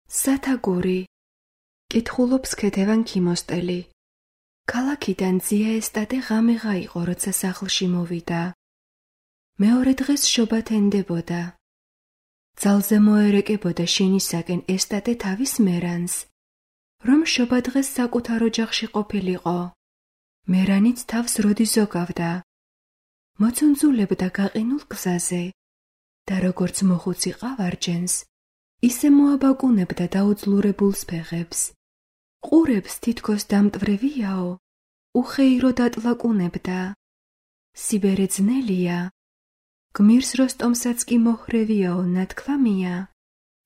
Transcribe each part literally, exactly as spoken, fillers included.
სათაგური. კითხულობს ქეთევან ქიმოსტელი. ქალაქიდან ძია ესტატე ღამეღა იყო, როცა სახლში მოვიდა. მეორე დღეს შობა თენდებოდა. ძალზე მოერეკებოდა შენისაკენ ესტატე თავის მერანს, რომ შობა დღეს საკუთარ ოჯახში ყოფილიყო. მერანიც თავს როდი ზოგავდა. მოწუნძულებდა გაყინულ გზაზე და როგორც მოხუცი ყავარჯენს, ისე მოაბაკუნებდა დაუძლურებულს ფეხებს. ყურებს თითქოს დამტვრევიაო, უხეირო დატლაკუნებდა. სიბერე ძნელია, გმირს როსტომსაც კი მოჰრევიაო ნათქვამია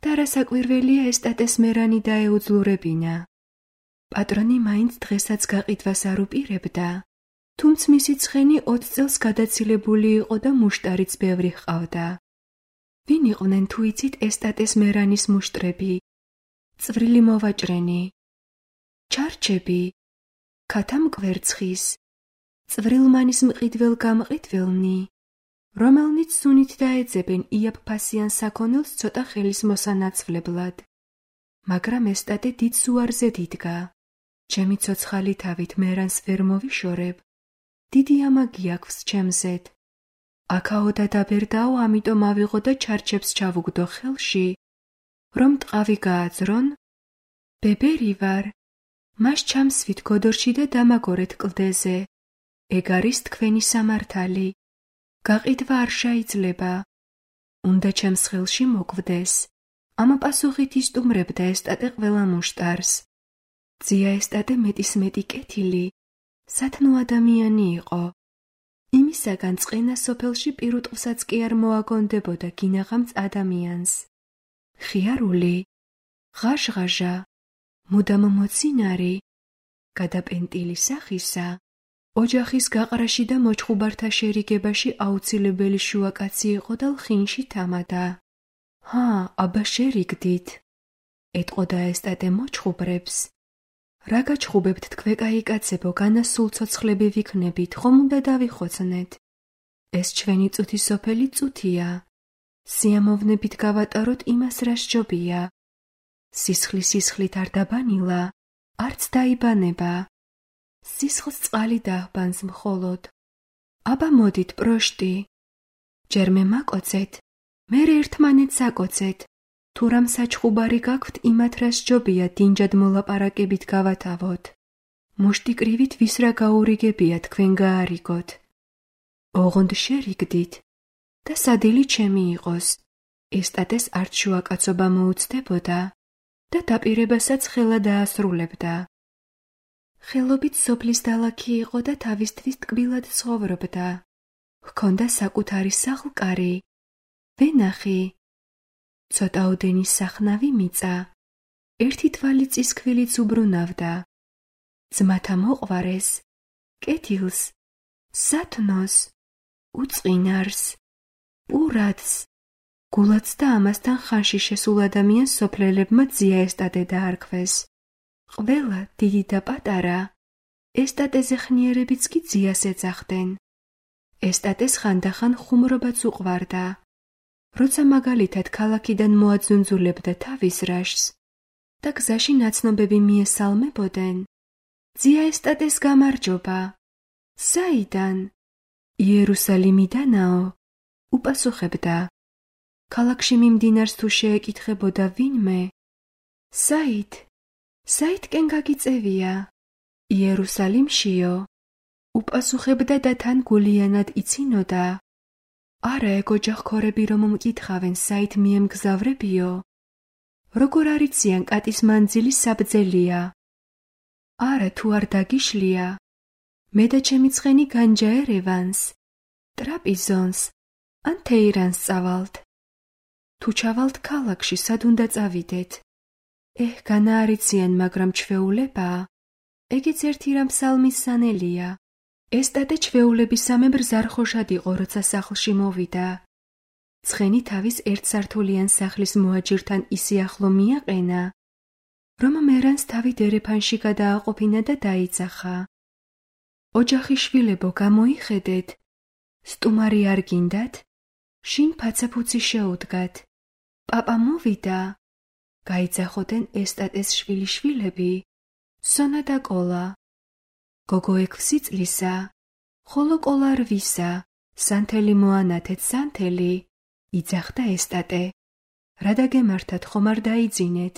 და რასაკვირველია ესტატეს მერანი დაეუძლურებინა. პატრონი მაინც დღესაც გაყიდვას არ უპირებდა, თუმც მისი ცხენი ოც წელს გადაცილებული იყო და მუშტარიც ბევრი ჰყავდა. ვინ იყვნენ თუ იცით ესტატეს მერანის მუშტრები? წვრილი მოვაჭრენი, ჩარჩები, ქათამკვერცხის, წვრილმანის მყიდվել გამყიდველნი, რომელნიც სუნით დაეძებენ იაფფასიან საქონელს ცოტა ხელის მოსანაცვლებლად. მაგრამ ესტატე დიდ სუარზე დიდგა. ჩემი ცოცხალი თავით მერანს ვერ მოვიშორებ. დიდი ამაგი აქვს ჩემზეთ. აქაო და დაბერდაო, ამიტომ ავიღო და ჩარჩებს ჩავუგდო ხელში, რომ ტყავი გააძრონ. ბებერი ვარ, მას ჩამსვით გოდორში და დამაგორეთ კლდეზე. ეგ არის თქვენი სამართალი. გაყიდვა არ შეიძლება. უნდა ჩემს ხელში მოკვდეს. ამა პასუხით ისტუმრებდა ესტატე ყველა მუშტარს. ძია ესტატე მეტისმეტი კეთილი, სათნო ადამიანი იყო. იმისაგან წყენა სოფელში პირუტყვსაც კი არ მოაგონდებოდა გინაღამც ადამიანს. ხიარული, ღაჟღაჟა, მუდამ მოცინარი, გადაპენტილი სახისა, ოჯახის გაყრაში და მოჩხუბართა შერიგებაში აუცილებელი შუაკაცი იყო და ლხინში თამადა. ჰა, აბა შერიგდით. ეტყოდა ესტატე მოჩხუბრებს. რა გაჩხუბებთ თქვენ კაიკაცებო, განასულ ცოცხლები ვიქნებით, ხომ უნდა დავიხოცნეთ. ეს ჩვენი წუთი სოფელი წუთია. სიამოვნებით გავატაროთ იმას, რა სჯობია. სისხლი სისხლით არ დაბანილა, არც დაიბანება. სისხლს წყალი დაჰბანს მხოლოდ. აბა მოდით პროშტი. ჯერ მე მაკოცეთ, მერე ერთმანეთს აკოცეთ. თუ რამ საჩხუბარი გაქვთ, იმათ რა სჯობია დინჯად მოლაპარაკებით გავათავოთ. მუშტი კრივით ვის რა გაურიგებია თქვენ გაარიგოთ. ოღონდ შერიგდით და სადილი ჩემი იყოს. ესტატეს არც შუაკაცობა მოუცდებოდა და დაპირებასაც ხელა დაასრულებდა. ხელობით სოფლის დალაქი იყო და თავისთვის ტკბილად ცხოვრობდა. ჰქონდა საკუთარი სახლკარი, ვენახი, ცოტაოდენი სახნავი მიწა, ერთი თვალი წისქვილიც უბრუნავდა. ძმათა მოყვარეს, კეთილს, სათნოს, უწყინარს, პურათს, გულაც და ამასთან ხანში შესულ ადამიანს სოფლელებმა ძია ესტატე დაარქვეს. ყველა, დიდი და პატარა, ესტატეზე ხნიერებიც კი ძიას ეძახდნენ. ესტატეს ხანდახან ხუმრობაც უყვარდა. როცა მაგალითად ქალაქიდან მოაძუნძულებდა თავის რაშს და გზაში ნაცნობები მიესალმებოდნენ, ძია ესტატეს გამარჯობა. საიდან? იერუსალიმიდანაო, უპასუხებდა. ქალაქში მიმდინარს თუ შეეკითხებოდა ვინმე, საით? საითკენ გაგიწევია? იერუსალიმშიო, უპასუხებდა და თან გულიანად იცინოდა. არა, ეგ ოჯახქორები რომ მკითხავენ, საით მიემგზავრებიო? როგორ არიციან კატის მანძილი საბძელია? არა, თუ არ დაგიშლია, მე და ჩემი ცხენი განჯაერევანს, ტრაპიზონს, ან თეირანს წავალთ. თუ ჩავალთ ქალაქში, სად უნდა წავიდეთ? ეჰ, განაარიციან, მაგრამ ჩვეულებაა. ეგეც ერთი რამ ფსალმის სანელია. ესტატე ჩვეულებისამებრ ზარხოშად იყო, როცა სახლში მოვიდა. ცხენი თავის ერთსართულიან სახლის მოაჯირთან ისე ახლო მიაყენა, რომ მერანს თავი დერეფანში გადააყოფინა და დაიძახა. ოჯახი შვილებო, გამოიხედეთ, სტუმარი არ გინდათ? შინ ფაცაფუცი შეუდგათ. პაპა მოვიდა. გაიძახოდნენ ესტატეს შვილიშვილები, სონა და კოლა. გოგო ექვსი წლისა, ხოლო კოლა რვისა, სანთელი მოანათეთ სანთელი, იძახდა ესტატე. რა დაგემართათ, ხომ არ დაიძინეთ?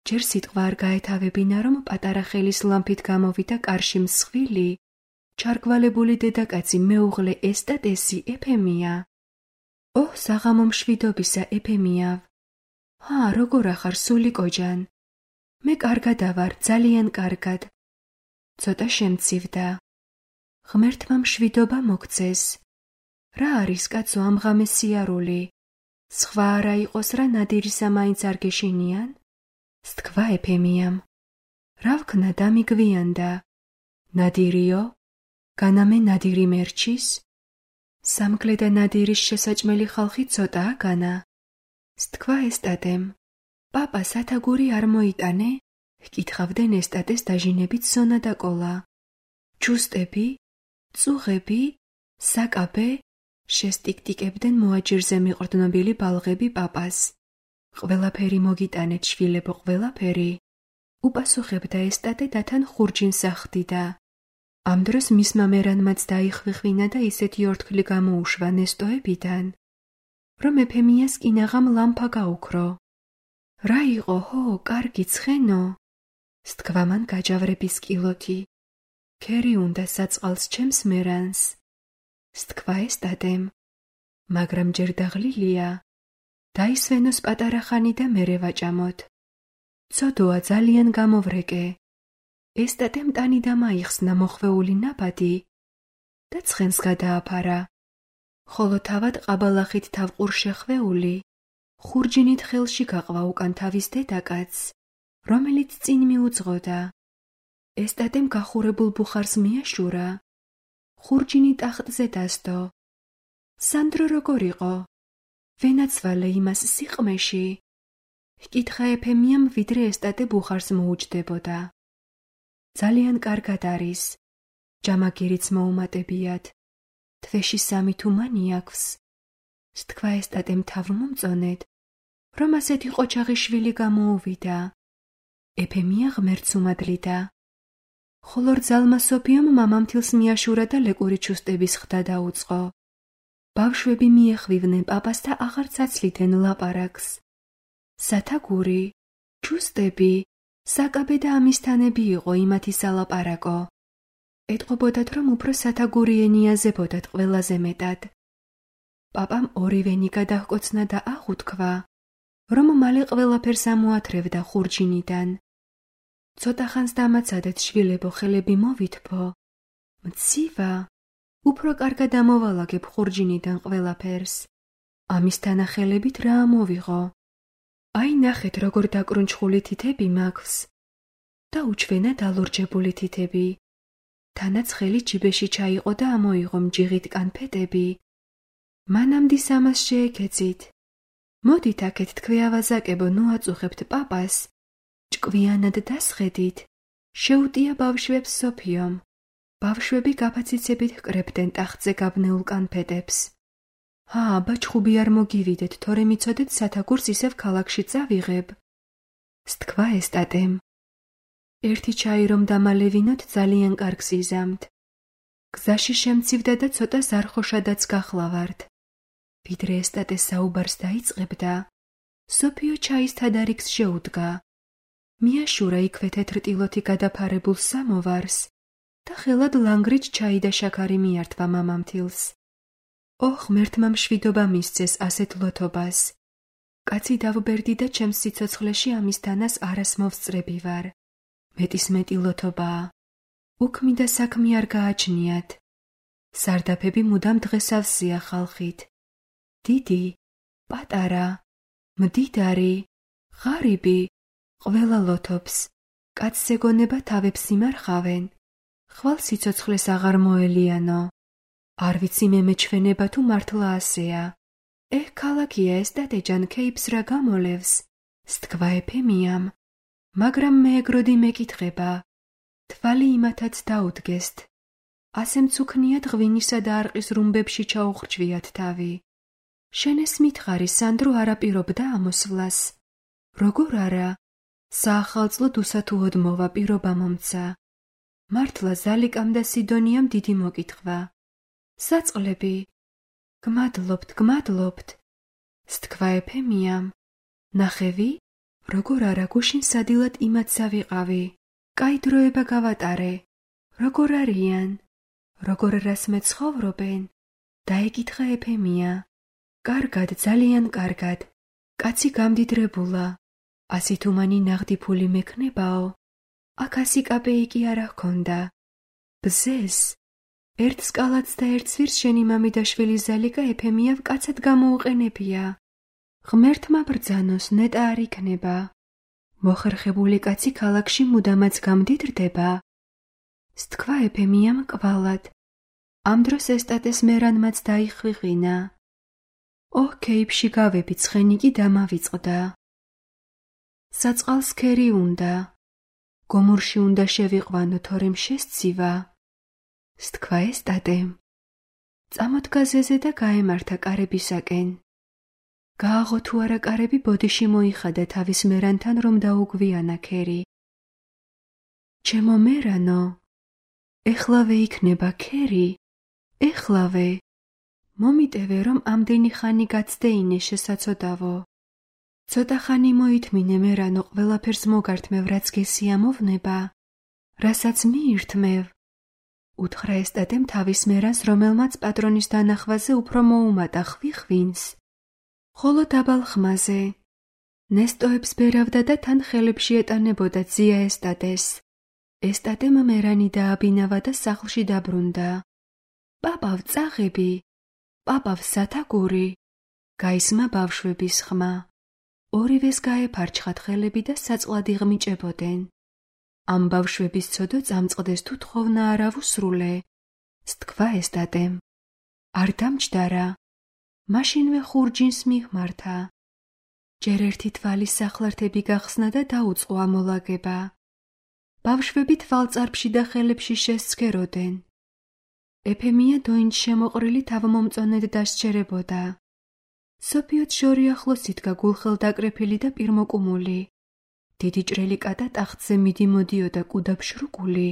ჯერ სიტყვა არ გაეთავებინა, რომ პატარა ხელის ლამფით გამოვიდა კარში მსხვილი, ჩარგვალებული დედაკაცი მეუღლე ესტატესი ეფემია. ოჰ, საღამო მშვიდობისა ეფემიავ. ჰა, როგორ ახარ, სული კოჯან? მე კარგად ავარ, ძალიან კარგად. ცოტა შემცივდა. ღმერთმა მშვიდობა მოგცეს. რა არის, კაცო, ამ ღამეს სიარული? სხვა არა იყოს რა, ნადირისა მაინც არ გეშინიან? სთქვა ეფემიამ. რა ვქნა, დამიგვიანდა. ნადირიო? განამე ნადირი მერჩის? სამკლე და ნადირის შესაჭმელი ხალხი ცოტაა განა. სთქვა ესტატემ. პაპა სათაგური არ მოიტანე? ჰკითხავდნენ ესტატეს დაჟინებით სონა და კოლა. ჯუსტები, წუღები, საკაბე, შესტიკტიკებდნენ მოაჯირზე მიყრდნობილი ბალღები პაპას. ყველაფერი მოგიტანეთ, შვილებო, ყველაფერი. უპასუხებდა ესტატე და თან ხურჯინს ახდიდა. ამ დროს მისმა მერანმაც დაიხვიხვინა და ისეთი ორთქლი გამოუშვა ნესტოებიდან, რომ ეფემიას კინაღამ ლამფა გაუქრო. რა იყო, ჰო, კარგი ცხენო? სთქვა მან გაჯავრების კილოთი. ქერი უნდა საწყალს ჩემს მერანს. სთქვა ესტატემ. მაგრამ ჯერ დაღლილია. დაისვენოს პატარა ხანი და მერე ვაჭამოთ. ცოდოა, ძალიან გამოვრეკე. ესტატემ ტანი დამაიხსნა მოხვეული ნაბადი და ცხენს გადააფარა. ხოლო თავად ყაბალახით თავყურ შეხვეული, ხურჯინით ხელში გაყვა უკან თავის დედაკაცს, რომელიც წინ მიუძღოდა. ესტატემ გახურებულ ბუხარს მიაშურა. ხურჯინი ტახტზე დასდო. სანდრო როგორ იყო? ვენაცვალე იმას სიყმეში? ჰკითხა ეფემიამ, ვიდრე ესტატე ბუხარს მოუჯდებოდა. ძალიან კარგად არის. ჯამაგირიც მოუმატებიათ. თვეში სამი თუმანი აქვს. სთქვა ესტატემ თავმომწონედ, რომ ასეთი ყოჩაღი შვილი გამოუვიდა. ეფემია ღმერთს უმადლიდა. ხოლო რძალმა სოფიომ მამამთილს მიაშურა და ლეკური ჩუსტების ხდა დაუწყო. ბავშვები მიეხვიდნენ პაპას და აღარ ცაცლიდნენ ლაპარაკს. სათაგური, ჩუსტები, საკაბე და ამისთანები იყო იმათი სალაპარაკო. ეტყობოდათ, რომ უფრო სათაგური ენიაზებოდათ ყველაზე მეტად. პაპამ ორივენი გადაჰკოცნა და აღუთქვა, რომ მალე ყველაფერს ამოათრევდა ხურჯინიდან. ცოტა ხანს დამაცადეთ, შვილებო, ხელები მოვითფო. მცივა, უფრო კარგად ამოვალაგებ ხურჯინიდან ყველაფერს. ამისთანა ხელებით რა ამოვიღო? აი ნახეთ, როგორ დაკრუნჩხული თითები მაქვს. და უჩვენა დალურჯებული თითები. თანაც ხელი ჯიბეში ჩაიყო და ამოიღო მჯიღით კანფეტები. მანამდე ამას შეეკეცით. მოდით აქეთ თქვი ავაზაკებო, ნუ აწუხებთ პაპას. ჭკვიანად დასხედით. შეუტია ბავშვებს სოფიომ. ბავშვები გაფაციცებით ჰკრებდნენ ტახტზე გაბნეულ კანფეტებს. ჰა, აბა ჩხუბი არ მოგივიდეთ, თორე მიცოდეთ სათაგურს ისევ ქალაქში წავიღებ. სთქვა ესტატემ. ერთი ჩაი რომ დამალევინოთ, ძალიან კარგს იზამთ. გზაში შემცივდა და ცოტა ზარხოშადაც გახლავართ. ვიდრე ესტატე საუბარს დაიწყებდა, სოფიო ჩაის თადარიგს შეუდგა. მიაშურა იქვე თეთრტილოთი გადაფარებულ სამოვარს და ხელად ლანგრით ჩაი და შაქარი მიართვა მამამთილს. ოხ, ღმერთმა მშვიდობა მისცეს ასეთ ლოთობას. კაცი დავბერდი და ჩემს სიცოცხლეში ამისთანას არას მოვსწრები ვარ. მეტის მეტი ლოთობაა. უქმი და საქმე არ გააჩნიათ. სარდაფები მუდამ დღესავსია ხალხით. დიდი, პატარა, მდიდარი, ღარიბი, ყველა ლოთობს. კაცს ეგონება თავებს იმარხავენ. ხვალ სიცოცხლეს აღარ მოელიანო. არ ვიცი მე მეჩვენება თუ მართლა ასეა. ეჰ, ქალაქია ეს დადეჯან ქეიფს რა გამოლევს. სთქვა ეფემიამ. მაგრამ მე ეგროდი მეკითხება. თვალი იმათაც დაუდგესთ. ასე მცუქნიათ ღვინისა და არყის რუმბებში ჩაუხრჩვიათ თავი. შენ ეს მითხარი, სანდრო არაპირობდა ამოსვლას. როგორ არა, საახალწლოდ უსათუოდ მოვა პირობა მომცა. მართლა ზალიკამ და სიდონიამ დიდი მოკითხვა. საწყლები, გმადლობთ, გმადლობთ, სთქვა ეფემიამ. ნახევი, როგორ არა გუშინ სადილად იმაცა ვიყავი, კაი დროება გავატარე, როგორ არიან, როგორ რასმე ცხოვრობენ, დაეკითხა ეფემია. კარგად, ძალიან კარგად, კაცი გამდიდრებულა, ასით უმანი ნაღდი ფული მექნებაო, აქ ასი კაპეიკი არა ჰქონდა. ბზეს, ერთ სკალაც და ერთ სვირს შენი მამიდაშვილი ზალიკა ეფემიავ კაცად გამოუყენებია. ღმერთმა ბრძანოს, ნეტა არ იქნება. მოხერხებული კაცი ქალაქში მუდამაც გამდიდრდება. სთქვა ეფემიამ კვალად. ამ დროს ესტატეს მერანმაც დაიხვიღინა. ოჰ, ქეიფში გავები, ცხენი კი დამავიწყდა. საწყალს ქერი უნდა. გომურში უნდა შევიყვანო, თორემ შესცივა. სთქვა ესტატემ. წამოდგა ზეზე და გაემართა კარებისაკენ. გააღო თუ არა კარები ბოდიში მოიხადა თავის მერანთან, რომ დაუგვიანა ქერი. ჩემო მერანო, ეხლავე იქნება ქერი, ეხლავე. მომიტევე, რომ ამდენი ხანი გაცდეინე შესაცოდავო. ცოტა ხანი მოითმინე მერანო, ყველაფერს მოგართმევ, რაც გესიამოვნება, რასაც მიირთმევ. უთხრა ესტატემ თავის მერანს, რომელმაც პატრონის დანახვაზე უფრო მოუმატა ხვიხვინს. ხოლო დაბალ ხმაზე. ნესტოებს ბერავდა და თან ხელებში ეტანებოდა ძია ესტატეს. ესტატემ მერანი დააბინავა და სახლში დაბრუნდა. პაპავ წაღები, პაპავ სათაგური, გაისმა ბავშვების ხმა. ორივეს გაეფარჩხათ ხელები და საწყლად იღმიჭებოდნენ. ამ ბავშვების ცოდო წამწყდეს თუ თხოვნა არა ვუსრულე, სთქვა ესტატემ. არ დამჯდარა. მაშინვე ხურჯინს მიხმართა. ჯერ ერთი თვალის სახლართები გახსნა და დაუწყო ამოლაგება. ბავშვები თვალწარფში და ხელებში შესცქეროდნენ. ეფემია დოინჯ შემოყრილი თავმომწონედ დასჯერებოდა. სოფიოთ შორი ახლოს იდგა გულხელდაკრეფილი და პირმოკუმული. დიდი ჭრელი კატა ტახტზე მიდიმოდიოდა კუდაბშრუკული.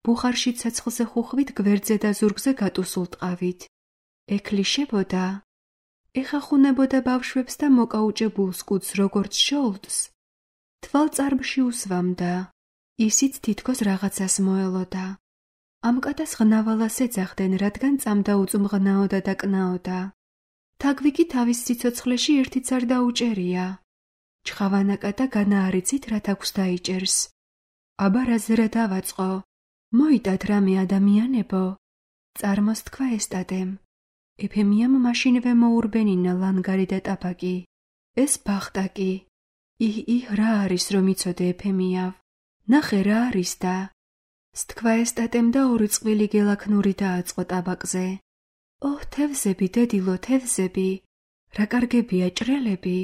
ბუხარში ცეცხლზე ხუხვით გვერდზე და ზურგზე გატუსულ ტყავით. ექლიშებოდა. ეხახუნებოდა ბავშვებს და მოკაუჭებულს კუდს როგორც შოლტს. თვალწარბში უსვამდა. ისიც თითქოს რაღაცას მოელოდა. ამ კატას ღნავალას ეძახდნენ, რადგან წამდა უწუმღნაოდა და კნაოდა. თაგვი კი თავის სიცოცხლეში ერთიც არ დაუჭერია. ჩხავანა კატა განაარიცით, რაც აქვს დაიჭერს. აბა რაზე რა დავაწყო? მოიტად რამე ადამიანებო. წარმოსთქვა ესტატემ. ეფემიამ მაშინვე მოურბენინა ლანგარი და ტაბაკი. ეს ბახტაკი. იჰ, იჰ, რა არის რომ იცოდე ეფემიავ? ნახე რა არის და. სთქვა ესტატემ და ორი წყვილი გელაქნური დააწყო ტაბაკზე. ოჰ, თევზები, დედილო, თევზები. რა კარგებია ჭრელები.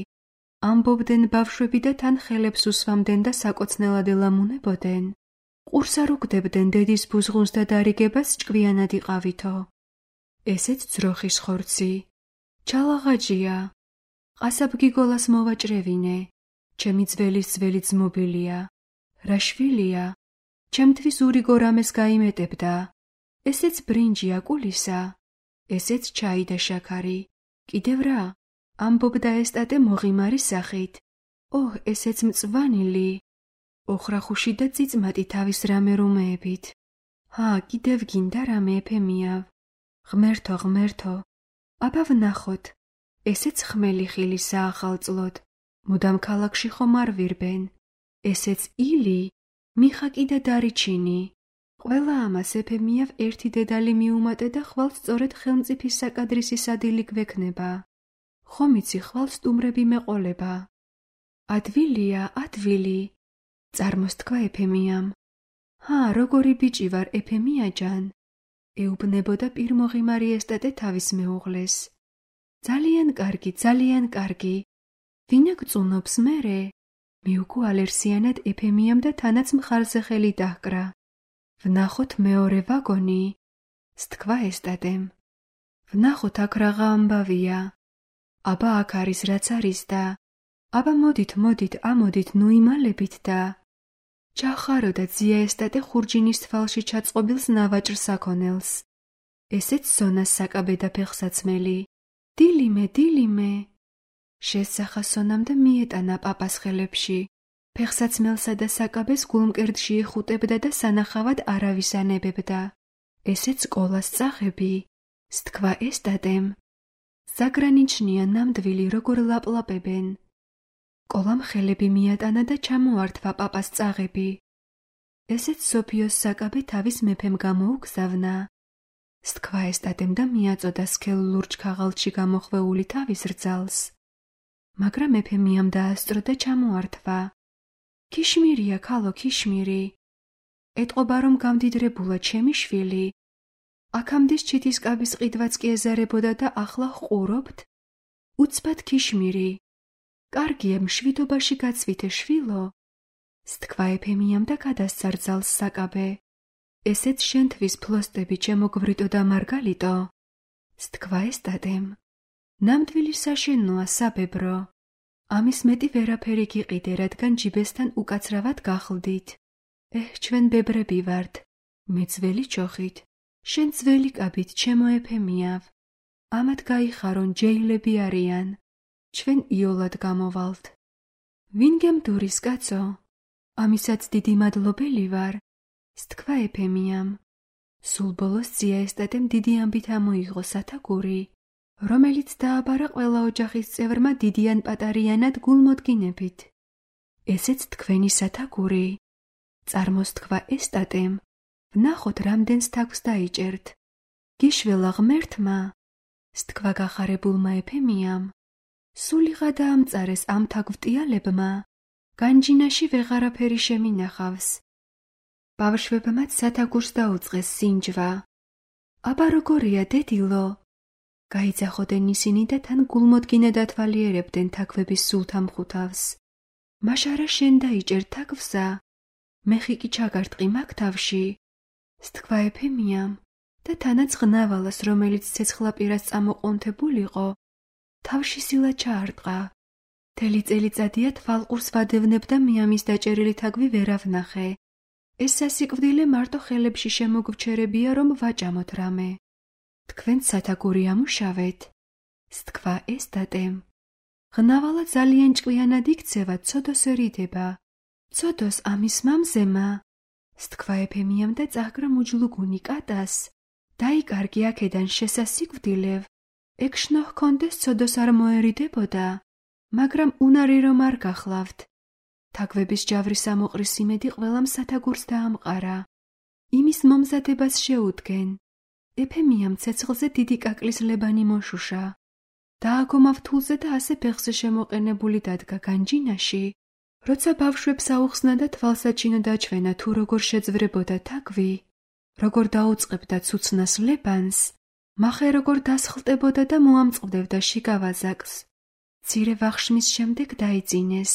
ამბობდნენ ბავშვები და თან ხელებს უსვამდნენ და საკოცნელად ელამუნებოდნენ. ყურს არ უგდებდნენ დედის ბუზღუნს და დარიგებას ჭკვიანად იყავითო. ესეც ძროხის ხორცი. ჩალაღაჯია. ყასაბგიგოლას მოვაჭრევინე. ჩემი ძველის ძველი ძმობილია. რა შვილია. ჩემთვის ურიგო რამეს გაიმეტებდა. ესეც ბრინჯი აკულისა. ესეც ჩაი და შაქარი. კიდევ რა? ამბობდა ესტატე მოღიმარი სახით. ოհ, ესეც მწვანილი. ოხრახუში და წიწმატი თავის რამე რომეებით. ჰა, კიდევ გინდა რამე ეფემიავ. ღმერთო, ღმერთო. აბა ვნახოთ. ესეც ხმელი ხილი საახალწლოდ. მუდამ ქალაქში ხომ არ ვირბენ. ესეც ილი, მიხაკი და დარიჩინი. ყველა ამას ეფემიავ ერთი დედალი მიუმატე და ხვალ სწორედ ხელმწიფის საკადრისის ადი გვექნება. ხომ იცი ხვალ სტუმრები მეყოლება. ადვილია, ადვილი. წარმოსთქვა ეფემიამ. ჰა, როგორი ბიჭი ვარ ეფემიაჯან. ეუბნებოდა პირმოღიმარი ესტატე თავის მეუღლეს. ძალიან კარგი, ძალიან კარგი. ვინა გწუნობს მერე? მიუგო ალერსიანად ეფემიამ და თანაც მხარზე ხელი დაჰკრა. ვნახოთ მეორე ვაგონი. სთქვა ესტატემ. ვნახოთ აქ რაღა ამბავია. აბა აქ არის რაც არის და აბა მოდით, მოდით, ამოდით, ნუ იმალებით და ჩახარო და ძია ესტატე ხურჯინის თვალში ჩაწყობილს ნავაჭრს აქონელს. ესეც სონას საკაბე და ფეხსაცმელი. დილიმე, დილიმე. შესახა სონამ და მიეტანა პაპას ხელებში. ფეხსაცმელსა და საკაბეს გულმკერდში იხუტებდა და სანახავად არავის ანებებდა. ესეც სკოლას წაღები, სთქვა ესტატემ. ზაგრანიჩნია ნამდვილი როგორ ლაპლაპებენ. კოლამ ხელები მიატანა და ჩამოართვა პაპას წაღები. ესეც სოფიოს საკაბე თავის მეფემ გამოუგზავნა. სთქვა ესტატემ და მიაწოდა სქელ ლურჯ ქაღალდში გამოხვეული თავის რძალს. მაგრამ მეფე მიამ დაასწრო და ჩამოართვა. ქიშმირია, ქალო, ქიშმირი. ეტყობა რომ გამდიდრებულა ჩემი შვილი. აქამდე ჩითისკაბის ყიდვაც კი ეზარებოდა და ახლა ყურობთ? უცბად ქიშმირი. კარგია, მშვიდობაში გაცვითე შვილო. სთქვა ეფემიამ და გადასცა რძალს საკაბე. ესეც შენთვის ფლოსტები ჩემოგვრიტო და მარგალიტო. სთქვა ესტატემ. ნამდვილი საშენოა საბებრო. ამის მეტი ვერაფერი გიყიდე, რადგან ჯიბესთან უკაცრავად გახლდით. ეჰ, ჩვენ ბებრები ვართ. მე ძველი ჩოხით. შენ ძველი კაბით, ჩემო ეფემიავ. ამათ გაიხარონ, ჯეილები არიან. ჩვენ იოლად გამოვალთ. ვინ გემდურის, კაცო? ამისაც დიდი მადლობელი ვარ. სთქვა ეფემიამ. სულ ბოლოს ძია ესტატემ დიდი ამბით ამოიღო სათაგური, რომელიც დააბარა ყველა ოჯახის წევრმა დიდიან პატარიანად გულმოდგინებით. ესეც თქვენი სათაგური. წარმოსთქვა ესტატემ. ვნახოთ, რამდენს თაგვს დაიჭერთ. გიშველა ღმერთმა. სთქვა გახარებულმა ეფემიამ. სულიღა დაამწარეს ამ თაგვტიალებმა. განჯინაში ვეღარაფერი შემინახავს. ბავშვებმაც სათაგურს დაუწყეს სინჯვა. აბა როგორია, დედილო? გაიძახოდნენ ისინი და თან გულმოდგინედ ათვალიერებდნენ თაგვების სულთამხუთავს. მაშარა შენ დაიჭერ თაგვსა? მეხი კი ჩაგარტყი მაგ თავში. სთქვა ეფემიამ და თანაც ღნავალას, რომელიც ცეცხლაპირას წამოყონთებულიყო, თავში სილა ჩაარტყა. მთელი წელიწადია თვალყურს ვადევნებ და მიამის დაჭერილი თაგვი ვერ ავნახე. ეს სასიკვდილე მარტო ხელებში შემოგვჩერებია, რომ ვაჭამოთ რამე. თქვენც სათაგური ამუშავეთ. სთქვა ესტატემ. ღნავალა ძალიან ჭკვიანად იქცევა, ცოდოსერიდება. ცოდოს ამის მამზემა. სთქვა ეფემიამ და წაჰკრა მუჯლუგუნი კატას. დაიკარგი აქედან შესასიკვდილევ. ეგ შნო ჰქონდეს, ცოდოს არ მოერიდებოდა. მაგრამ უნარი რომ არ გახლავთ. თაგვების ჯავრის ამოყრის იმედი ყველამ სათაგურს დაამყარა. იმის მომზადებას შეუდგენ. ეფემიამ ცეცხლზე დიდი კაკლის ლებანი მოშუშა. დააგომა ვთულზე და ასე ფეხზე შემოყენებული დადგა განჯინაში. როცა ბავშვებს აუხსნა და თვალსაჩინო დაჩვენა თუ როგორ შეძვრებოდა თაგვი, როგორ დაუწყებდა ცუცნას ლებანს, მახე როგორ დასხლტებოდა და მოამწყდებდა შიგავაზაკს. მცირე ვახშმის შემდეგ დაიძინეს.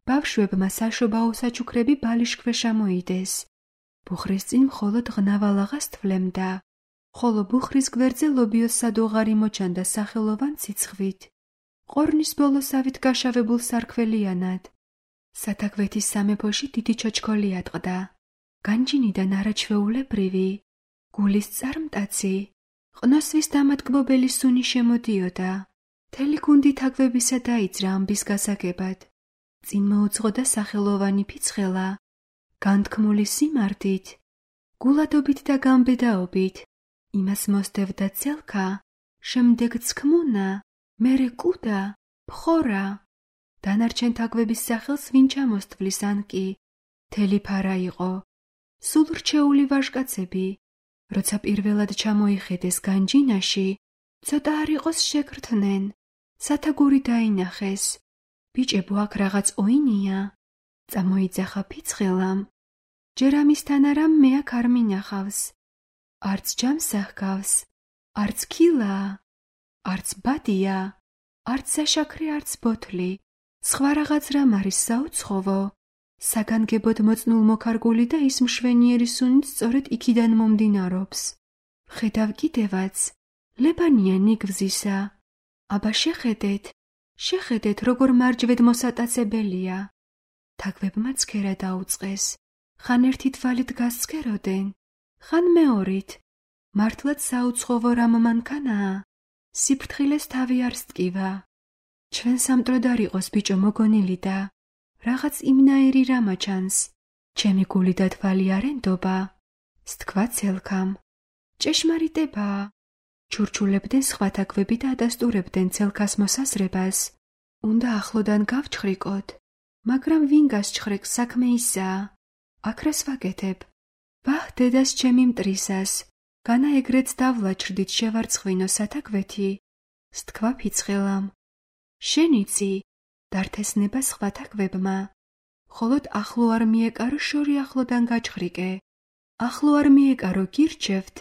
ბავშვებმა საშობაო საჩუქრები ბალიშქვეშ ამოიდეს. ბუხრის წინ მხოლოდ ღნავალაღას თვლემდა, ხოლო ბუხრის გვერდზე ლობიოს სადოღარი მოჩანდა სახელოვან ციცხვით. ყორნის ბოლოსავით გაშავებულ სარქველიანად. სათაგვეთის სამეფოში დიდი ჩოჩქოლი ატყდა. განჯინიდან არაჩვეულებრივი, გულის წარმტაცი, ყნოსვის დამატკბობელი სუნი შემოდიოდა. მთელი გუნდი თაგვებისა დაიძრა ამბის გასაგებად. წინ მოუძღოდა სახელოვანი ფიცხელა, განთქმული სიმართით, გულადობით და გამბედაობით. იმას მოსდევდა ცელქა, შემდეგ ცქმუნა, მერე კუდა, ფხორა. დანარჩენ თაგვების სახელს ვინ ჩამოსთვლის ან კი, მთელი ფარა იყო. სულ რჩეული ვაჟკაცები, როცა პირველად ჩამოიხედეს განჯინაში, ცოტა არ იყოს შეკრთნენ. სათაგური დაინახეს. ბიჭებო, აქ რაღაც ოინია. წამოიძახა ფიცხელამ. ჯერ ამისთან არამ მე აქ არ მინახავს. არც ჯამს ახგავს, არც ქილა, არც ბადია, არც საშაქრე, არც ბოთლი. სხვა რაღაც რამ არის საუცხოვო. საგანგებოდ მოწნულ მოქარგული და ის მშვენიერი სუნით სწორედ იქიდან მომდინარეობს. ხედავ კიდევაც, ლებანია ნიგვზისა. აბა შეხედეთ, შეხედეთ, როგორ მარჯვედ მოსატაცებელია. თაგვებმა ცქერა დაუწყეს. ხან ერთი თვალით გასცქეროდნენ, ხან მეორით. მართლაც საუცხოვო რამ მანქანაა. სიფრთხილეს თავი არ სტკივა. ჩვენ სამტროდ არ იყოს ბიჭო მოგონილი და რაღაც იმნაირი რამა ჩანს. ჩემი გული და თვალი არ ენდობა. სთქვა ცელქამ. ჭეშმარიტებაა. ჩურჩულებდნენ სხვა თაგვები და ადასტურებდნენ ცელქას მოსაზრებას. უნდა ახლოდან გავჩხრიკოთ, მაგრამ ვინ გასჩხრეკს საქმე ისაა. აქრას ვაკეთებ. ვაჰ, დედას ჩემი მტრისას. განა ეგრეც დავლაჩრდით შევარცხვინო სათაგვეთი. სთქვა ფიცხელამ. შენიცი, დართესნება სხვა თაგვებმა. ხოლოდ ახლო არ მიეკარო შორი ახლოდან გაჩხრიკე. ახლო არ მიეკარო გირჩევთ.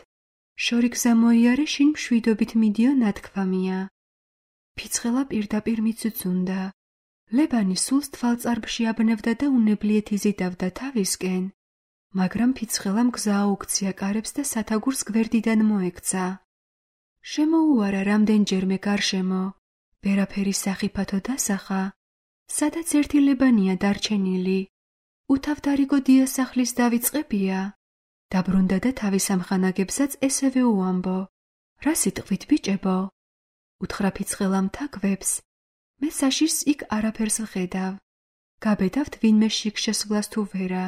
შორი გზა მოიარე შინ მშვიდობით მიდიო ნათქვამია. ფიცხელა პირდაპირ მიცუცუნდა. ლებანი სულს თვალწარბში აბნევდა და უნებლიეთ იზიდავდა თავისკენ. მაგრამ ფიცხელამ გზა აუქცია კარებს და სათაგურს გვერდიდან მოექცა. შემოუარა რამდენჯერმე გარშემო. ვერაფერი სახიფათო დასახა. სადაც ერთი ლებანია დარჩენილი. უთავდარიგო დიასახლის დავიწყებია. დაბრუნდა და თავის ამხანაგებსაც ესევე უამბო. რა სიტყვით ბიჭებო? უთხრა ფიცხელამ თაგვებს. მე საშიშს იქ არაფერს ვხედავ. გაბედავთ ვინმე შიგ შესვლას თუ ვერა.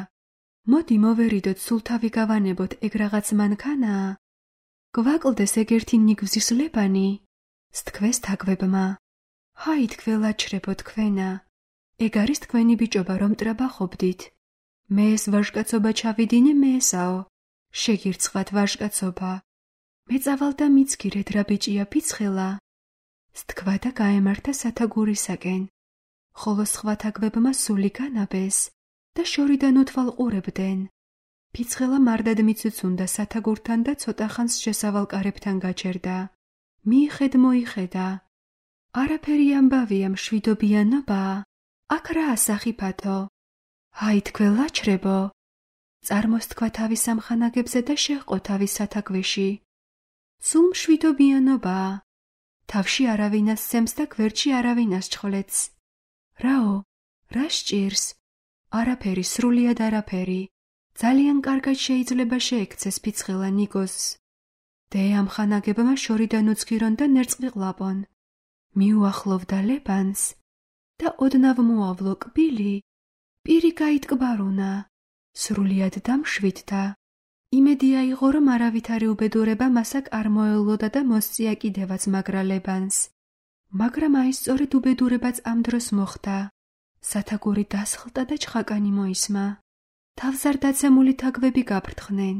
მოდი მოვერიდოთ სულ თავი გავანებოთ ეგ რაღაც მანქანაა. გვაკლდეს ეგ ერთი ნიგვზის ლებანი. სთქვეს თაგვებმა. ჰაი თქველაჩრებო თქვენა. ეგ არის თქვენი ბიჭობა რომ ტრაბახობდით. მე ეს ვაჟკაცობა ჩავიდინე მე ესაო. შეგირცხათ ვაჟკაცობა. მე წავალ და მიცქირეთ რა ბიჭია ფიცხელა. სთქვა და გაემართა სათაგურისაკენ. ხოლო სხვა თაგვებმა სული განაბეს და შორიდან უთვალყურებდნენ. ფიცხელა მარდად მიცუცუნდა სათაგურთან და ცოტა ხანს შესავალ კარებთან გაჩერდა. მიიხედ მოიხედა. არაფერი ამბავია მშვიდობიანობაა. აქ რა ასახიფათო? აი თქველაჩრებო. წარმოსთქვა თავის ამხანაგებზე და შეჰყო თავის სათაგვეში. სულ მშვიდობიანობაა. თავში არავინას სემს და გვერდში არავინას ჩხლეთს. რაო, რა სჭირს? არაფერი, სრულიად არაფერი. ძალიან კარგად შეიძლება შეექცეს ფიცხელა ნიგოზს. დე ამხანაგებმა შორიდან უცქირონ და ნერწყიყლაპონ. მიუახლოვდა ლებანს და ოდნავ მოავლო კბილი. პირი გაიტკბარუნა. სრულიად დამშვიდდა. იმედი აიღო, რომ არავითარი უბედურება მასაკ არ მოელოდა და მოსწია კიდევაც მაგრა ლებანს. მაგრამ აი სწორედ უბედურებაც ამ დროს მოხდა. სათაგური დასხლდა და ჩხაკანი მოისმა. თავს არ დაცემული თაგვები გაფრთხნენ.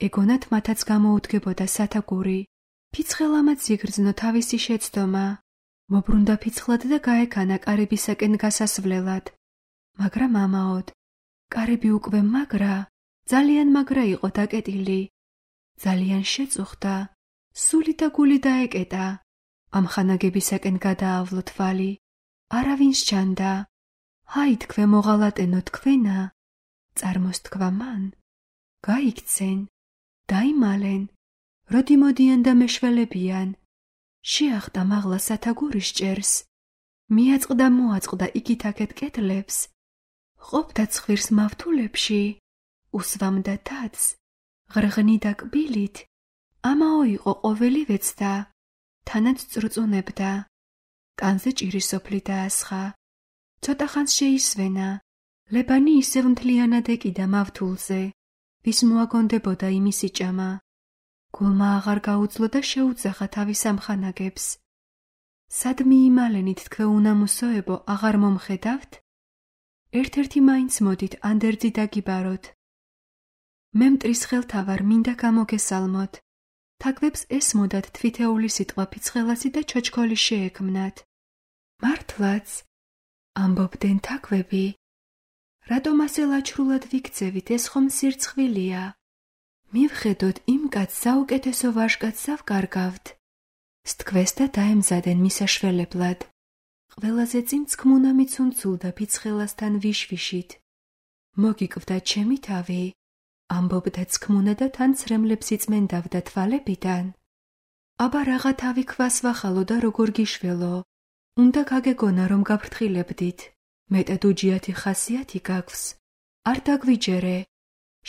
ეგონათ მათაც გამოუდგებოდა სათაგური. ფიცხელამაც იგრძნო თავისი შეცდომა. მობრუნდა ფიცხლად და გაეკანა კარებისაკენ გასასვლელად. მაგრამ ამაოდ. კარები უკვე მაგრა, ძალიან მაგრა იყო დაკეტილი. ძალიან შეწუხდა. სული და გული დაეკეტა. ამხანაგებისაკენ გადაავლო თვალი. არავინ სჩანდა. ჰაი თქვე მოღალატენო თქვენა. წარმოსთქვა მან. გაიქცენ. დაიმალენ. როდი მოდიან და მეშველებიან. შეახტა მაღლა სათაგურის ჭერს. მიაწყდა მოაწყდა იქით-აქეთ კედლებს. ყოფდა ცხვირს მავთულებში. უსვამდა თათს. ღრღნიდა კბილით. ამაო იყო ყოველივეც და თანაც წრუწუნებდა. კანზე ჭირი სოფლი დაასხა. ცოტა ხანს შეისვენა. ლებანი ისევ მთლიანად ეკიდა მავთულზე. ვის მოაგონდებოდა იმისი ჭამა. გულმა აღარ გაუძლო და შეუძახა თავის ამხანაგებს. სად მიიმალენით თქვე უნამუსოებო, აღარ მომხედავთ? ერთ-ერთი მაინც მოდით ანდერძი დაგიბაროთ. მე მტრის ხელთავარ მინდა გამოგესალმოთ. თაგვებს ესმოდათ თვითეული სიტყვა ფიცხელასი და ჩოჩქოლი შეექმნათ. მართლაც, ამბობდნენ თაგვები. რატომ ასე ლაჩრულად ვიქცევით, ეს ხომ სირცხვილია. მივხედოთ იმ კაცს საუკეთესო ვაჟკაცს ავკარგავთ. სთქვეს და დაემზადენ მისაშველებლად. ყველაზე წინ ცქმუნა მიცუნცულდა ფიცხელასთან ვიშვიშით. მოგიკვდა ჩემი თავი. ამბობდა ცქმუნა და თან ცრემლებს იწმენდავდა თვალებიდან. აბა რაღა თავი ქვას ვახალო და როგორ გიშველო. უნდა გაგეგონა, რომ გაფრთხილებდით. მეტად უჯიათი ხასიათი გაგვს. არ დაგვიჯერე.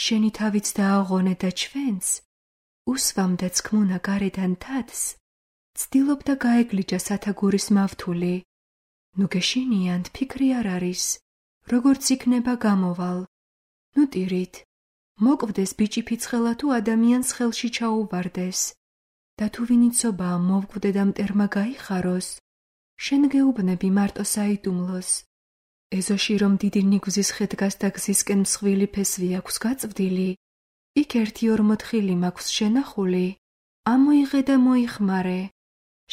შენი თავიც დააღონე და ჩვენც. უსვამდა ცქმუნა გარედან თათს. ცდილობდა გაეგლიჯა სათაგურის მავთული. ნუ გეშინიანთ, ფიქრი არ არის. როგორც იქნება გამოვალ. ნუ ტირით. მოკვდეს ბიჭი ფიცხელა თუ ადამიანს ხელში ჩაუვარდეს. და თუ ვინიცობაა მოვკვდე და მტერმა გაიხაროს, შენ გეუბნები მარტო საიდუმლოს. ეზოში რომ დიდი ნიგვზის ხე დგას და გზისკენ მსხვილი ფესვი აქვს გაწვდილი, იქ ერთი ორმოთხილი მაქვს შენახული, ამოიღე და მოიხმარე.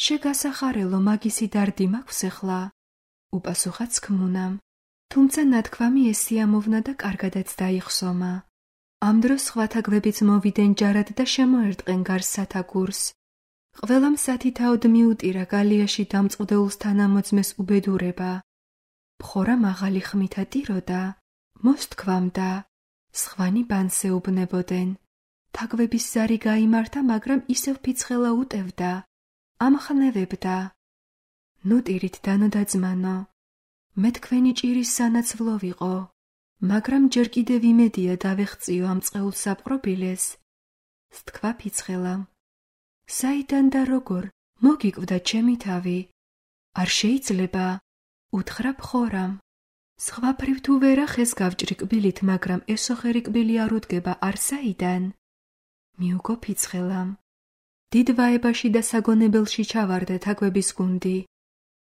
შეგასახარელო მაგისი დარდი მაქვს ახლა. უპასუხა ცქმუნამ, თუმცა ნათქვამი ესიამოვნა და კარგადაც დაიხსომა. ამ დროს სხვათა გვებიც მოვიდნენ ჯარად და შემოერტყენ გარს სათაგურს. ყველამ სათითაოდ მიუტირა გალიაში დამწყვდეულს თანამოძმეს უბედურება. ბხორა მაღალი ხმითა ტიროდა, მოსთქვამდა, სხვანი ბანს ეუბნებოდნენ. თაგვების ზარი გაიმართა, მაგრამ ისევ ფიცხელა უტევდა, ამხნევებდა. ნუ ტირით დანო და ძმანო, მე თქვენი ჭირის სანაცვლო ვიყო, მაგრამ ჯერ კიდევ იმედია დავეხწიო ამ წყეულ საპყრობილეს. სთქვა ფიცხელამ. საიდან და როგორ, მოგიკვდა ჩემი თავი. არ შეიძლება, უთხრა ბხორამ. სხვაფრივ თუ ვერა ხეს გავჭრი კბილით, მაგრამ ესოხერი კბილი არ უდგება, არ საიდან? მიუგო ფიცხელამ. დიდ ვაებაში და საგონებელში ჩავარდა თაგვების გუნდი.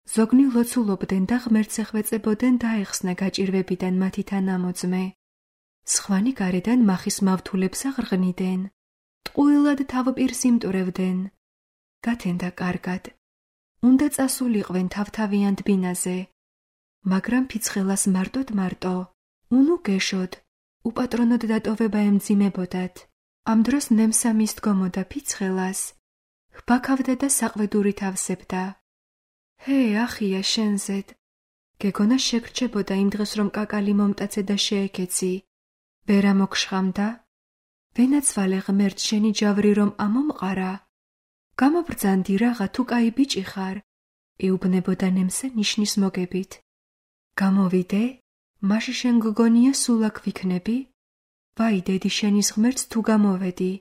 ზოგნი ლოცულობდნენ და ღმერთს ეხვეწებოდნენ დაეხსნა გაჭირვებიდან მათი თანამოძმე. სხვანი გარედან მახის მავთულებს აღრღნიდნენ. ტყუილად თავპირს იმტვრევდნენ. გათენდა კარგად. უნდა წასულიყვენ თავთავიან დბინაზე. მაგრამ ფიცხელას მარტოდ მარტო. უნუ გეშოდ, უპატრონოდ დატოვება ემძიმებოდათ. ამ დროს ნემსა მისდგომოდა ფიცხელას. ჰბაქავდა და საყვედურით ავსებდა. ჰე, ახია შენზედ. გეგონა შეგრჩებოდა იმ დღეს რომ კაკალი მომტაცე და შეეკეცი. ვერა მოგშხამდა? ვენაცვალე ღმერთ შენი ჯავრი რომ ამომყარა. გამობრძანდი რაღა თუ კაი ბიჭი ხარ. ეუბნებოდა ნემსა ნიშნის მოგებით. გამოვიდე? მაშ შენ გგონია სულ აქ ვიქნები? ვაი დედი შენის ღმერთს თუ გამოვედი.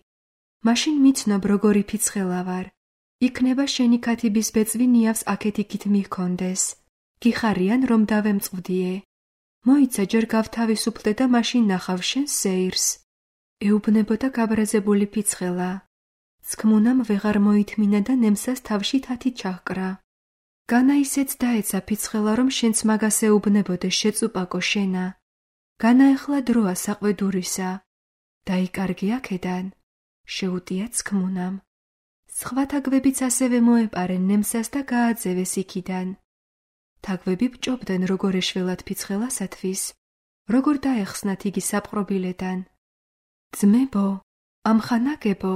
მაშინ მიცნობ როგორი ფიცხელა ვარ. იქნება შენი ქათიბის ბეწვი ნიავს აქეთ იქით მიქონდეს. გიხარიან რომ დავემწყვდიე. მოიცა ჯერ გავთავისუფლდე და მაშინ ნახავ შენ სეირს. ეუბნებოდა გაბრაზებული ფიცხელა. ცქმუნამ ვეღარ მოითმინა და ნემსას თავში თათი ჩაჰკრა. განა ისეც დაეცა ფიცხელა რომ შენც მაგას ეუბნებოდე შეწუპაკო შენა. განა ეხლა დროა საყვედურისა. დაიკარგი აქედან. შეუტია ცქმუნამ. სხვა თაგვებიც ასევე მოეპარენ ნემსას და გააძევეს იქიდან. თაგვები ბჭობდნენ როგორ ეშველათ ფიცხელასათვის, როგორ დაეხსნათ იგი საპყრობილედან. ძმებო, ამხანაგებო,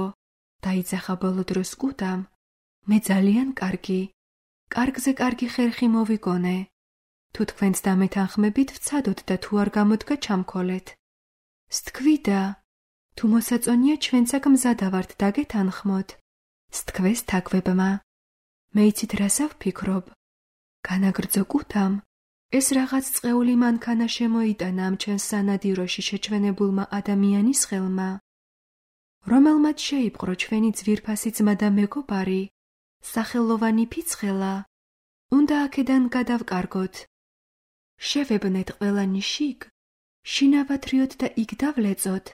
დაიძახა ბოლო დროს კუდამ, მე ძალიან კარგი, კარგზე კარგი ხერხი მოვიგონე. თუ თქვენც დამეთანხმებით ვცადოთ და თუ არ გამოდგა ჩამქოლეთ. სთქვიდა, თუ მოსაწონია ჩვენც აქ მზადა ვართ დაგეთანხმოთ. სთქვეს თაგვებმა. მე იცით რასა ვფიქრობ? განაგრძო კუდამ, ეს რაღაც წყეული მანქანა შემოიტანა ამ ჩვენს სანადიროში შეჩვენებულმა ადამიანის ხელმა. რომელმაც შეიპყრო ჩვენი ძვირფასი ძმა და მეგობარი, სახელოვანი ფიცხელა, უნდა აქედან გადავკარგოთ. შევებნეთ ყველანი შიგ, შინავათრიოთ და იქ დავლეწოთ,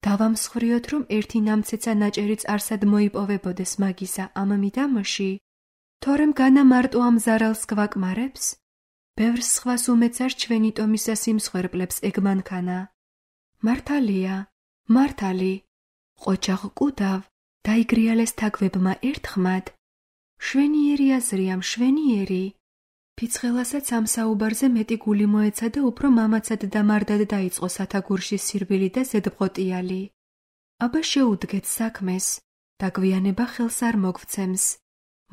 დავამსხვრიოთ რომ ერთი ნამცეცა ნაჭერიც არსად მოიპოვებოდეს მაგისა ამ მიდამოში, თორემ განა მარტო ამ ზარალს გვაკმარებს, ბევრს სხვას უმეცარ ჩვენი ტომისა სიმსხვერპლებს ეგ მანქანა. მართალია, მართალი, ყოჩაღ კუდავ, დაიგრიალეს თაგვებმა ერთხმად. შვენიერი აზრია, მშვენიერი. ფიცხელასაც ამ საუბარზე მეტი გული მოეცა და უფრო მამაცად და მარდად დაიწყო სათაგურში სირბილი და ზედბღოტიალი. აბა შეუდგეთ საქმეს, დაგვიანება ხელს არ მოგвცემს.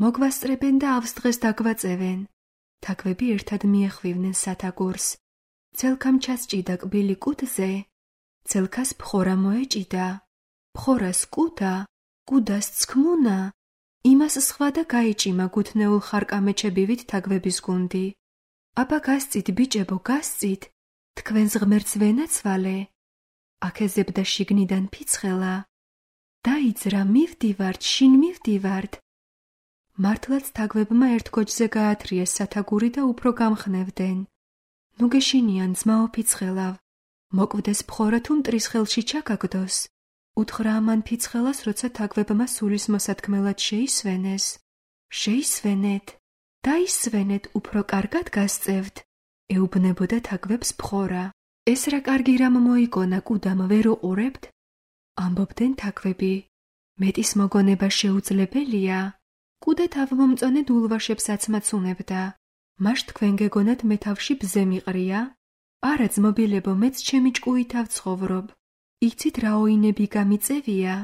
მოგვასწრებენ დაავს დღეს დაგვაწევენ. თაგვები ერთად მიეხვივნენ სათაგურს. ცელქამ ჩასჭიდა კბილი კუდზე, ცელქას ბხორა მოეჭიდა, ბხორას კუდა, კუდას ცქმუნა, იმას სხვა და გაიჭიმა გუთნეულ ხარკამეჩებივით თაგვების გუნდი. აბა გასწით, ბიჭებო, გასწით, თქვენს ღმერთს ვენაცვალე. აქეზებდა შიგნიდან ფიცხელა. დაიძრა, მივდივართ, შინ მივდივართ. მართლაც თაგვებმა ერთ გოჯზე გაათრიეს სათაგური და უფრო გამხნევდნენ. ნუ გეშინიან, ძმაო ფიცხელავ, მოკვდეს ფხორა თუ მტრის ხელში ჩაგაგდოს. უთხრა ამან ფიცხელას, როცა თაგვებმა სულის მოსათქმელად შეისვენეს. შეისვენეთ, დაისვენეთ, უფრო კარგად გასწევთ, ეუბნებოდა თაგვებს ფხორა. ეს რა კარგი რამ მოიგონა, კუდამ ვერ უყურებთ? ამბობდნენ თაგვები. მეტის მოგონება შეუძლებელია. კუდა თავმომწონე დულვაშებსაც მაცუნებდა. მაშ თქვენ გეგონათ მე თავში ბზე მიყრია? არა ძმობილებო, მეც ჩემი ჭკუი თავ ცხოვრობ. იცით რა ოინები გამიწევია?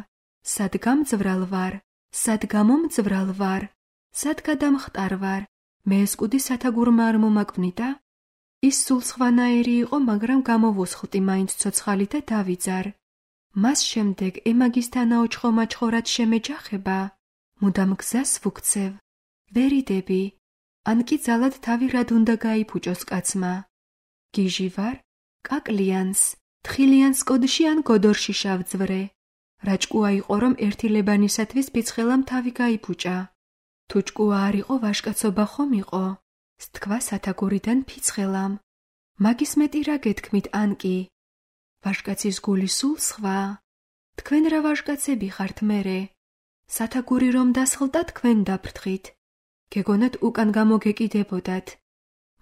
სად გამძვრალ ვარ, სად გამომძვრალ ვარ, სად გადამხტარ ვარ, მე ეს კუდი სათაგურმა არ მომაკვნიტა? ის სულ სხვანაირი იყო, მაგრამ გამოვუსხლტი მაინც ცოცხალი და დავიძარ. მას შემდეგ ემაგისთან აოჩხო-მაჩხორად შემეჯახება, მუდამ გზას ვუქცევ, ვერიდები, ან კი ძალად თავი რად უნდა გაიფუჭოს კაცმა. გიჟი ვარ, კაკლიანს, თხილიანს კოდში ან გოდორში შავძვრე. რა ჭკუა იყო, რომ ერთი ლებანისათვის ფიცხელამ თავი გაიფუჭა. თუ ჭკუა არ იყო, ვაშკაცობა ხომ იყო? სთქვა სათაგურიდან ფიცხელამ. მაგის მეტი რა გეთქმით ან კი? ვაშკაცის გული სულ სხვა. თქვენ რა ვაშკაცები ხართ მერე? სათაგური რომ დასხლდა, თქვენ დაფრთხით. გეგონათ უკან გამოგეკიდებოდათ.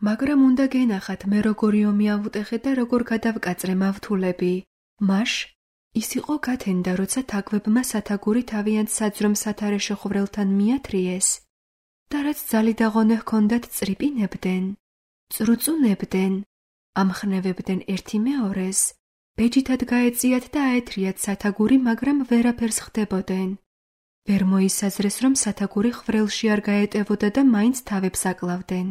მაგრამ უნდა გენახათ მე როგორი ომი ავუტეხე და როგორ გადავკაწრე მავთულები. მაშ ის იყო გათენდა, როცა თაგვებმა სათაგური თავიანთ საძრომ სათარეშო ხვვრელთან მიათრიეს და რაც ძალი დაღონე ჰქონდათ წრიპინებდნენ, წრუწუნებდნენ, ამხნევებდნენ ერთი მეორეს, ბეჯითად გაეწიათ და აეთრიათ სათაგური, მაგრამ ვერაფერს ხდებოდნენ. ვერ მოისაზრეს, რომ სათაგური ხვვრელში არ გაეტევოდა და მაინც თავებს აკლავდნენ.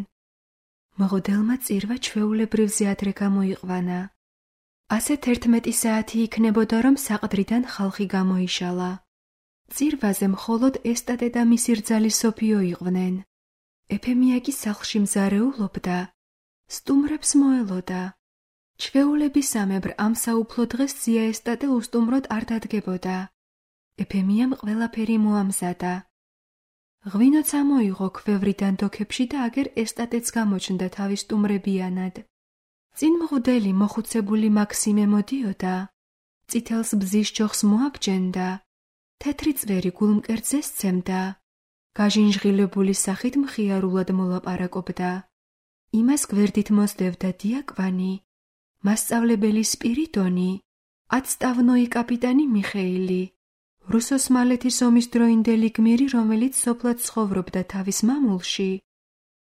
მღვდელმა წირვა ჩვეულებრივზე ადრე გამოიყვანა. ასეთ ერთმეტი საათი იქნებოდა, რომ საყდრიდან ხალხი გამოიშალა. წირვაზე მხოლოდ ესტატე და მისი რძალი სოფიო იყვნენ. ეფემია კი სახლში მზარეულობდა, სტუმრებს მოელოდა. ჩვეულებისამებრ ამ საუფლო დღეს ზია ესტატე უსტუმროდ არ დადგებოდა. ეფემიამ ყველაფერი მოამზადა. ღვინოც ამოიღო ქვევრიდან დოქებში და აგერ ესტატეც გამოჩნდა თავის სტუმრებიანად. წინ მღვდელი მოხუცებული მაქსიმე მოდიოდა, წითელს ბზის ჯოხს მოაბჯენდა, თეთრი წვერი გულმკერძზე სცემდა, გაჟინჟღილებული სახით მხიარულად მოლაპარაკობდა. იმას გვერდით მოსდევდა დიაკვანი, მასწავლებელი სპირიდონი, აცტავნოი კაპიტანი მიხეილი, რუსოსმალეთის ომის დროინდელი გმირი, რომელიც სოფლად ცხოვრობდა თავის მამულში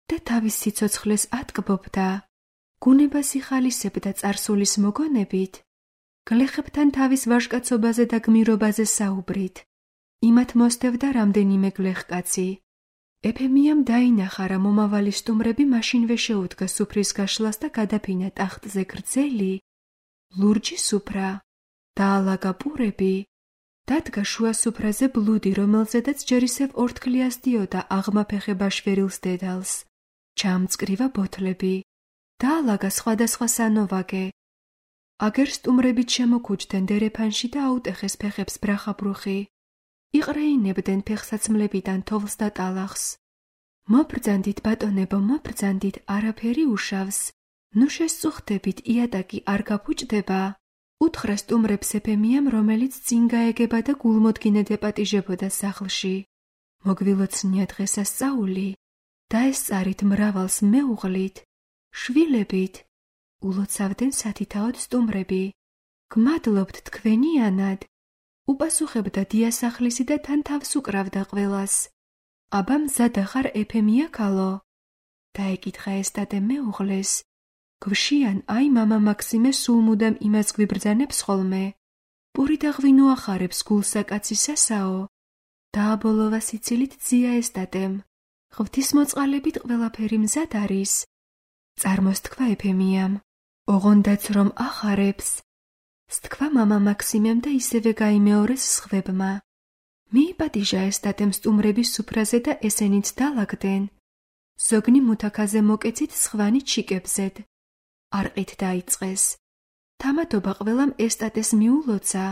და თავის სიცოცხლეს ატკბობდა. გუნებას იხალისებდა წარსულის მოგონებით, გლეხებთან თავის ვაჟკაცობაზე და გმირობაზე საუბრით. იმათ მოსდევდა რამდენიმე გლეხკაცი. ეფემიამ დაინახა, რა მომავალი სტუმრები მაშინვე შეუდგა სუფრის გაშლას და გადაფინა ტახტზე გრძელი, ლურჯი სუფრა, დაალაგა პურები, დადგა შუა სუფრაზე ბლუდი, რომელზედაც ჯერ ისევ ორთქლი ასდიოდა აღმაფეხე ბაშვერილს დედალს, ჩამწკრივა ბოთლები. დაალაგა სხვადასხვა სანოვაგე. აგერ სტუმრებით შემოქუჯდნენ დერეფანში და აუტეხეს ფეხებს ბრახაბრუხი. იყრეინებდნენ ფეხსაცმლებიდან თოვლს და ტალახს. მობრძანდით, ბატონებო, მობრძანდით, არაფერი უშავს. ნუ შესწუხდებით, იატაკი არ გაფუჭდება. უთხრა სტუმრებს ეფემიამ, რომელიც წინ გაეგება და გულმოდგინედ ეპატიჟებოდა სახლში. მოგვილოცნია დღესასწაული, დაესწარით მრავალს მეუღლით, შვილებით, ულოცავდნენ სათითაოდ სტუმრები. გმადლობთ თქვენიანად, უპასუხებდა დიასახლისი და თან თავს უკრავდა ყველას. აბა მზად ახარ ეფემია ქალო? დაეკითხა ესტატე მეუღლეს. გვშიან, აი მამა მაქსიმე სულ მუდამ იმას გვიბრძანებს ხოლმე. პური და ღვინო ახარებს გულსაკაცისასაო. დააბოლოვა სიცილით ძია ესტატემ. ღვთისმოწყალებით ყველაფერი მზად არის. წარმოსთქვა ეფემიამ. ოღონდაც რომ ახარებს. სთქვა მამა მაქსიმემ და ისევე გაიმეორეს სხვებმა. მიიპატიჟა ესტატემ სტუმრების სუფრაზე და ესენიც დალაგდნენ. ზოგნი მუთაქაზე მოკეცით სხვანი ჩიკებზედ. არყით დაიწყეს. თამადობა ყველამ ესტატეს მიულოცა.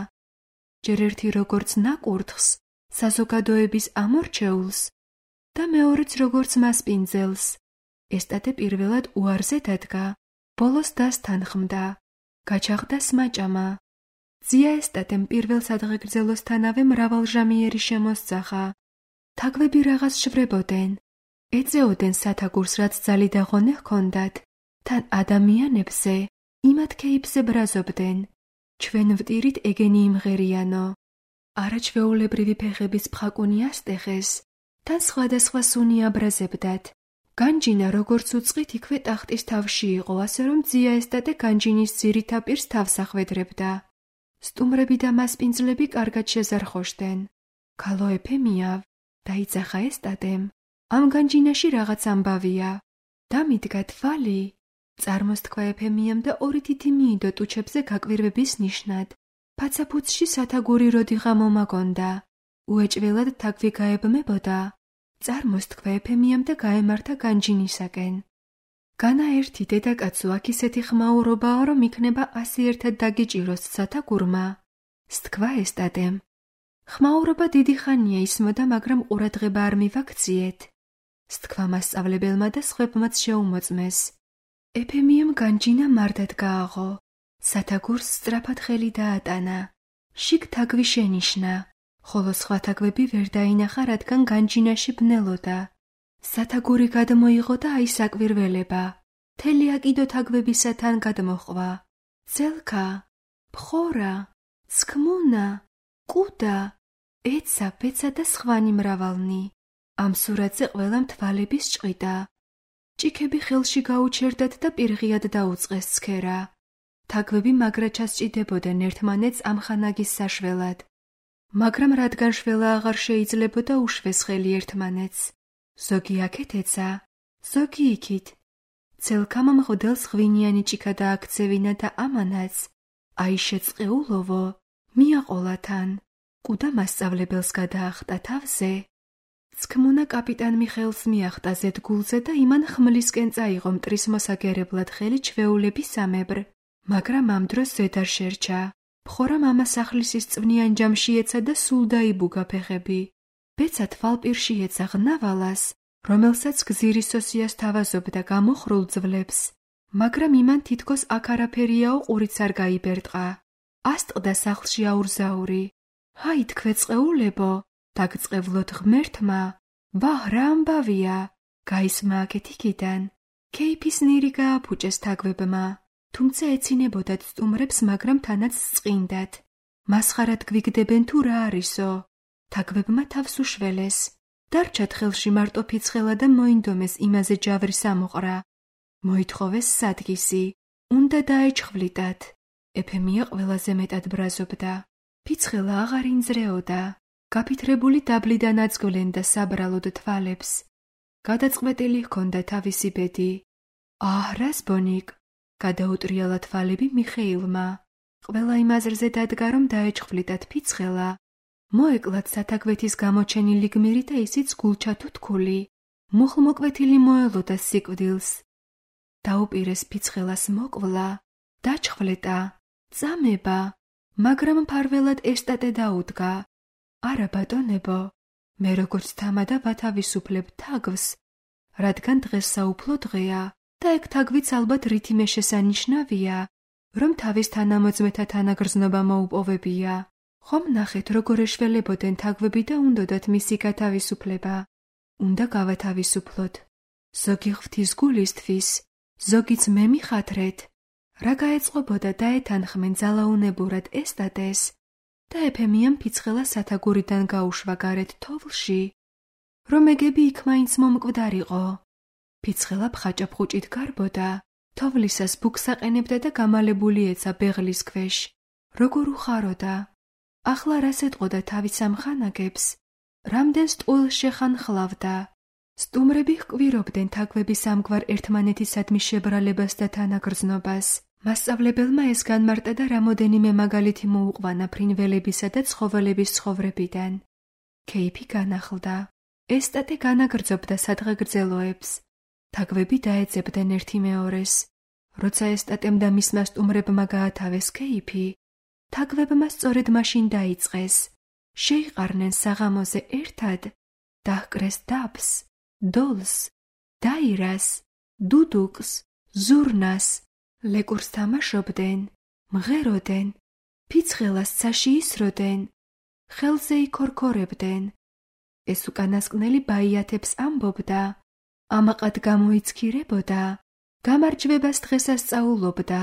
ჯერ ერთი როგორც ნაკურთხს, საზოგადოების ამორჩეულს და მეორეც როგორც მასპინძელს. ესტატე პირველად უარზე დადგა, ბოლოს დასთანხმდა, გაჩაღდა სმაჭამა. ძია ესტატემ პირველ სადღეგრძელოსთანავე მრავალჟამიერი შემოსძახა. თაგვები რაღაც შვრებოდნენ, ეწეოდნენ სათაგურს, რაც ძალი და ღონე ჰქონდათ, თან ადამიანებზე, იმათ ქეიფზე ბრაზობდნენ. ჩვენ ვტირით ეგენი იმღერიანო. არაჩვეულებრივი ფეხების ფხაკუნი ასტეხეს, თან სხვადასხვა სუნი აბრაზებდათ. განჯინა როგორც უწყით იქვე ტახტის თავში იყო, ასე რომ ძია ესტატე განჯინის ძირით აპირს თავს ახვედრებდა. სტუმრები და მასპინძლები კარგად შეზარხოშდნენ. ქალო ეფემიავ, დაიძახა ესტატემ. ამ განჯინაში რაღაც ამბავია. დამიდგა თვალი. წარმოსთქვა ეფემიამ და ორი თითი მიიდო ტუჩებზე გაკვირვების ნიშნად. ფაცაფუცში სათაგური როდიღა მომაგონდა. უეჭველად თაგვი გაებმებოდა. წარმოსთქვა ეფემიამ და გაემართა განჯინისაკენ. განა ერთი დედაკაცო აქ ისეთი ხმაურობაა, რომ იქნება ასი ერთად დაგიჭიროს სათაგურმა. სთქვა ესტატემ. ხმაურობა დიდი ხანია ისმოდა, მაგრამ ყურადღება არ მივაქციეთ. სთქვა მასწავლებელმა და სხვებმაც შეუმოწმეს. ეფემიამ განჯინა მარტად გააღო. სათაგურს სწრაფად ხელი დაატანა. შიგ თაგვი შენიშნა, ხოლო სხვა თაგვები ვერ დაინახა, რადგან განჯინაში ბნელოდა. სათაგური გადმოიღო და აისაკვირველება. თელი აკიდო თაგვებისათან გადმოჰყვა. ძელქა, ფხორა, სქმუნა, კუდა, ეცა, პეცა და სხვანი მრავალნი. ამ სურათზე ყველამ თვალების ჭყიდა. ჭიქები ხელში გაუჩერდათ და პირღიად დაუწყეს ცქერა. თაგვები მაგრა ჩასჭიდებოდნენ ერთმანეთს ამ ხანაგის საშველად. მაგრამ რადგან შველა აღარ შეიძლებოდა უშვეს ხელი ერთმანეთს. ზოგი აქეთ ეცა, ზოგი იქით. ძელქამ მღვდელს ღვინიანი ჭიქა დააქცევინა და ამანაც, აი შეწყეულოვო, მიაყოლათან. კუდა მასწავლებელს გადაახტა თავზე. სქმუნა კაპიტან მიხეილს მიახტა ზედგულზე და იმან ხმლისკენ წაიღო მტრის მოსაგერებლად ხელი ჩვეულებისამებრ, მაგრამ ამ დროს ზედ არ შერჩა. ფხორა მამა სახლისის წვნიან ჯამში ეცა და სულ დაიბუგა ფეხები. ბეცა თვალპირში ეცა ღნავალას, რომელსაც გზირისოსიას თავაზობდა გამოხრულ ძვლებს, მაგრამ იმან თითქოს აქ არაფერიაო ყურიც არ გაიბერტყა. ასტყდა სახლში აურზაური. ჰაი თქვეწყეულებო, დაგწყევლოთ ღმერთმა, ვაჰ რა ამბავია, გაისმა აქეთ იქიდან. ქეიფის ნირი გააფუჭეს თაგვებმა, თუმცა ეცინებოდათ სტუმრებს, მაგრამ თანაც სწყინდათ. მასხარად გვიგდებენ თუ რა არისო. თაგვებმა თავს უშველეს. დარჩათ ხელში მარტო ფიცხელა და მოინდომეს იმაზე ჯავრის ამოყრა. მოითხოვეს სადგისი, უნდა დაეჩხვლიტათ. ეფემია ყველაზე მეტად ბრაზობდა. ფიცხელა აღარ ინძრეოდა. გაფითრებული დაბლიდან აწგვლენდა საბრალოდ თვალებს. გადაწყვეტილი ჰქონდა თავისი ბედი. აჰ, რას ბონიკ, გადაუტრიალა თვალები მიხეილმა. ყველა იმ აზრზე დადგა, რომ დაეჩხვლიტათ ფიცხელა. მოეკლათ სათაგვეთის გამოჩენილი გმირი და ისიც გულჩათო თქული. მუხლმოკვეთილი მოელოდა სიკვდილს. დაუპირეს ფიცხელას მოკვლა, დაჩხვლეტა, წამება, მაგრამ მფარველად ესტატე დაუდგა. არა ბატონებო, მე როგორც თამადა ვათავისუფლებ თაგვს, რადგან დღეს საუფლო დღეა და ეგ თაგვიც ალბათ რითიმე შესანიშნავია, რომ თავის თანამოძმეთა თანაგრძნობა მოუპოვებია. ხომ ნახეთ, როგორ ეშველებოდნენ თაგვები და უნდოდათ მისი გათავისუფლება. უნდა გავათავისუფლოთ. ზოგი ღვთის გულისთვის, ზოგიც მე მიხათრეთ. რა გაეწყობოდა დაეთანხმენ ძალაუნებურად ესტატეს და ეფემიამ ფიცხელა სათაგურიდან გაუშვა გარეთ თოვლში, რომ ეგები იქ მაინც მომკვდარიყო. ფიცხელა ფხაჭაფხუჭით გარბოდა, თოვლისას ბუქს აყენებდა და გამალებული ეცა ბეღლის ქვეშ. როგორ უხაროდა. ახლა რას ეტყოდა თავის ამხანაგებს, რამდენ სტყუილს შეხანხლავდა. სტუმრები ჰკვირობდნენ თაგვების ამგვარ ერთმანეთისადმი შებრალებას და თანაგრძნობას. მასწავლებელმა ეს განმარტა და რამოდენიმე მაგალითი მოუყვანა ფრინველებისა და ცხოველების ცხოვრებიდან. ქეიფი განახლდა. ესტატე განაგრძობდა სადღეგრძელოებს. თაგვები დაეძებდნენ ერთი მეორეს. როცა ესტატემ და მისმა სტუმრებმა გაათავეს ქეიფი, თაგვებმა სწორედ მაშინ დაიწყეს. შეიყარნენ საღამოზე ერთად, დაჰკრეს დაბს, დოლს, დაირას, დუდუკს, ზურნას, ლეკურს თამაშობდნენ, მღეროდნენ, ფიცხელას ცაში ისროდნენ, ხელზე იქორქორებდნენ. ეს უკანასკნელი ბაიათებს ამბობდა, ამაყად გამოიცქირებოდა, გამარჯვებას დღესასწაულობდა.